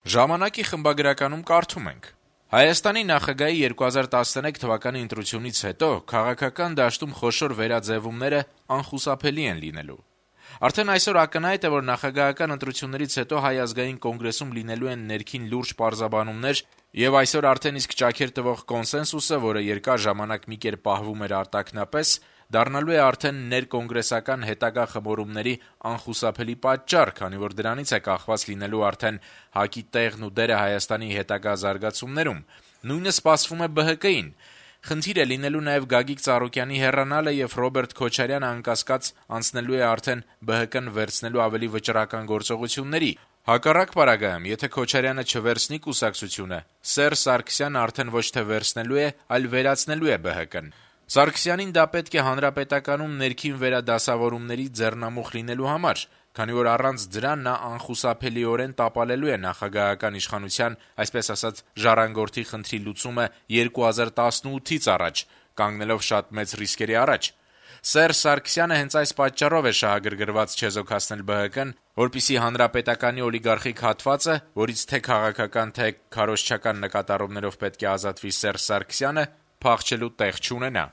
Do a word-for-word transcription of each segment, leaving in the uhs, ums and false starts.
Ժամանակի խմբագրականում կարդում ենք. Հայաստանի նախագահի երկու հազար տասներեք թվականի ընտրությունից հետո քաղաքական դաշտում խոշոր վերաձևումները անխուսափելի են լինելու։ Արդեն այսօր ակնհայտ է, որ նախագահական ընտրություններից հետո Հայ ազգային կոնգրեսում լինելու են ներքին լուրջ պարզաբանումներ, եւ այսօր արդեն իսկ ճաքեր տվող կոնսենսուսը, որը երկար ժամանակ մի կերպ պահվում էր արտաքնապես, դառնալու է արդեն ներկոնգրեսական հետագա խմորումների անխուսափելի պատճառ, քանի որ դրանից է կախված լինելու արդեն ՀԱԿ-ի տեղն ու դերը Հայաստանի հետագա զարգացումներում։ Նույնը սպասվում է Բ Հ Կ-ին։ Խնդիր է լինելու նաեւ Գագիկ Ծառուկյանի հեռանալը, եւ Ռոբերտ Քոչարյանը անկասկած անցնելու է արդեն Բ Հ Կն վերցնելու ավելի վճռական գործողությունների։ Հակառակ պարագայում, եթե Քոչարյանը չվերցնի կուսակցությունը, Սերժ Սարգսյանը արդեն ոչ թե վերցնելու է, այլ վերացնելու է Բ Հ Կն։ Սարգսյանին դա պետք է հանրապետականում ներքին վերադասավորումների ձեռնամուխ լինելու համար, քանի որ առանց դրան նա անխուսափելիորեն տապալելու է նախագահական իշխանության, այսպես ասած, ժառանգորդի խնդրի լուծումը երկու հազար տասնութից առաջ, կանգնելով շատ մեծ ռիսկերի առաջ։ Սերժ Սարգսյանը հենց այս պատճառով է շահագրգռված չեզոքացնել Բ Հ Կն, որպեսզի հանրապետականի օլիգարխիկ հատվածը, որից թե քաղաքական, թե քարոզչական նկատառումներով պետք է ազատվի Սերժ Սարգսյանը, փախչելու տեղ չունենա։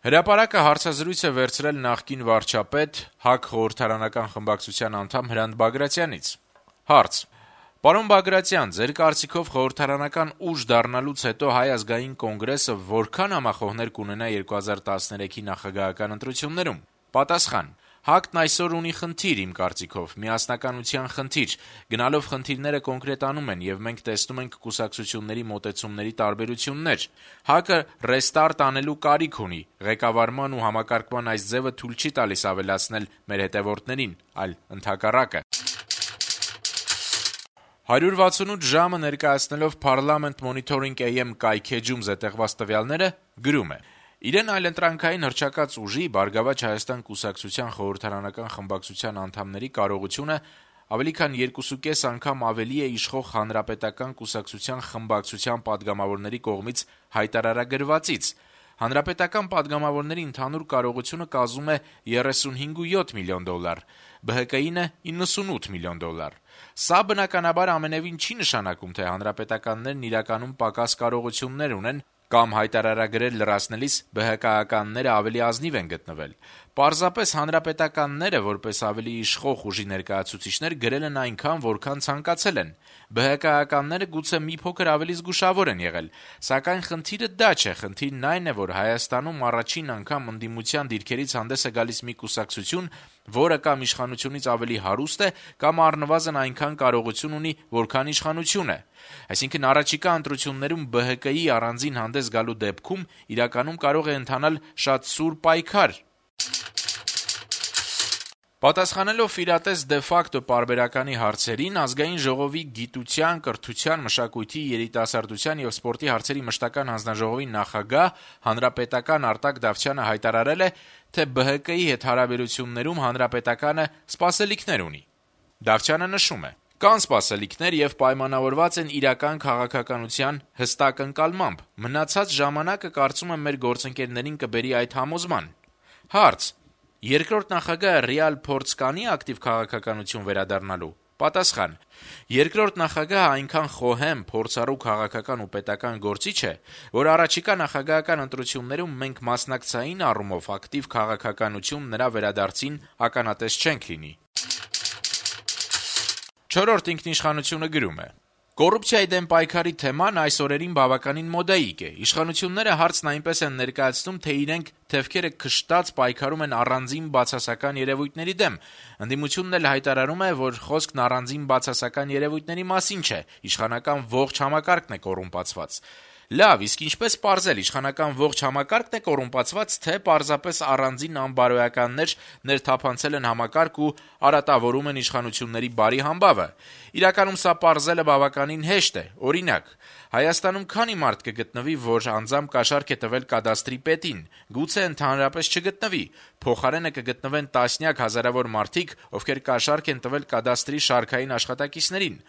Հրապարակը հարցազրույց է վերցրել նախկին վարչապետ, ՀԱԿ խորհրդարանական խմբակցության անդամ Հրանտ Բագրատյանից։ Հարց. Պարոն Բագրատյան, ձեր կարծիքով խորհրդարանական ուժ դառնալուց հետո Հայ ազգային կոնգրեսը որքան համախոհներ կունենա երկու հազար տասներեքի նախագահական ընտրություններում։ Պատասխան. ՀԱԿ-ն այսօր ունի խնդիր, իմ կարծիքով, միասնականության խնդիր, գնալով խնդիրները կոնկրետանում են, եւ մենք տեսնում ենք կուսակցությունների մոտեցումների տարբերություններ։ ՀԱԿ-ը ռեստարտ անելու կարիք ունի, ղեկավարման ու համակարգման այս ձևը թույլ չի տալիս ավելացնել մեր հետևորդներին, այլ ընդհակառակը։ հարյուր վաթսունութ ժամը ներկայացնելով Parliament Monitoring A M կայքէջում զետեղված տվյալները գրում է. Իրեն այլընտրանքային հռչակած ուժի Բարգավաճ Հայաստան կուսակցության խորհրդարանական խմբակցության անդամների կարողությունը ավելի քան երկուսուկես անգամ ավելի է իշխող հանրապետական կուսակցության խմբակցության падգամավորների կողմից հայտարարագրվածից։ Հանրապետական падգամավորների ընդհանուր կարողությունը կազմում է երեսունհինգ վաթ միլիոն դոլար, Բ Հ Կ-ինը իննսունութ միլիոն դոլար։ Սա բնականաբար ամենևին չի նշանակում, թե հանրապետականներն իրականում պակաս կարողություններ ունեն կամ հայտարարագրեր լրացնելիս Բ Հ Կ-ականները ավելի ազնիվ են գտնվել։ Պարզապես հանրապետականները, որպես ավելի իշխող ուժի ներկայացուցիչներ, գրել են այնքան, որքան ցանկացել են։ Բ Հ Կ-ականները գուցե մի փոքր ավելի զգուշավոր են եղել, սակայն խնդիրը դա չէ, խնդիրն այն է, որ Հայաստանում առաջին անգամ ընդդիմության դիրքերից հանդես է գալիս մի կուսակցություն, որը կամ իշխանությունից ավելի հարուստ է, կամ առնվազն այնքան կարողություն ունի, որքան իշխանությունը։ Այսինքն առաջիկա ընտրություններում Բ Հ Կ-ի առանձին հանդես գալու դեպքում իրականում կարող է ընթանալ շատ սուր պայքար։ Պատասխանելով իրատես դե ֆակտո պարբերականի հարցերին, Ազգային ժողովի գիտության, կրթության, մշակույթի, երիտասարդության եւ սպորտի հարցերի մշտական հանձնաժողովի նախագահ հանրապետական Արտակ Դավթյանը հայտարարել է, թե Բ Հ Կ-ի հետ հարաբերություններում հանրապետականը սպասելիքներ ունի։ Դավթյանը նշում է. Կան սպասելիքներ եւ պայմանավորված են իրական քաղաքականության հստակ ընկալմամբ։ Մնացած ժամանակը կարծում եմ մեր գործընկերներին կբերի այդ համոզման։ Հարց. Երկրորդ նախագահը ռեալ փորձ կանի ակտիվ քաղաքականություն վերադառնալու։ Պատասխան. Երկրորդ նախագահը այնքան խոհեմ, փորձառու քաղաքական ու պետական գործիչ է, որ առաջիկա նախագահական ընտրություններում մենք մասնակցային առումով ակտիվ քաղաքականություն նրա վերադարձին ականատես չենք լինի։ Չորրորդ ինքնիշխանությունը գրում է. Կոռուպցիայի դեմ պայքարի թեման այս օրերին բավականին մոդայիկ է։ Իշխանությունները հարցն այնպես են ներկայացնում, թե իրենք թևքերը քշտած պայքարում են առանձին բացասական երևույթների դեմ։ Ընդդիմությունն էլ հայտարարում է, որ խոսքն առանձին բացասական երևույթների մասին չէ, իշխանական ողջ համակարգն է կոռումպացված։ Լավ, իսկ ինչպես պարզել, իշխանական ողջ համակարգն է կոռումպացված, թե պարզապես առանձին անբարոյականներ ներթափանցել են համակարգ ու արատավորում են իշխանությունների բարի համբավը։ Իրականում սա պարզելը բավականին հեշտ է։ Օրինակ, Հայաստանում քանի մարդ կգտնվի, որ անձամբ կաշառք է տվել կադաստրի պետին։ Գուցե ընդհանրապես չգտնվի։ Փոխարենը կգտնվեն տասնյակ հազարավոր մարդիկ, ովքեր կաշառք են տվել կադաստրի շարքային աշխատակիցներին։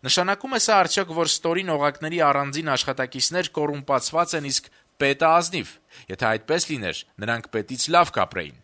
Նշանակում է սա արդյոք, որ ստորին օղակների առանձին աշխատակիցներ կոռումպացված են, իսկ պետը ազնիվ։ Եթե այդպես լիներ, նրանք պետից լավ կապրեին։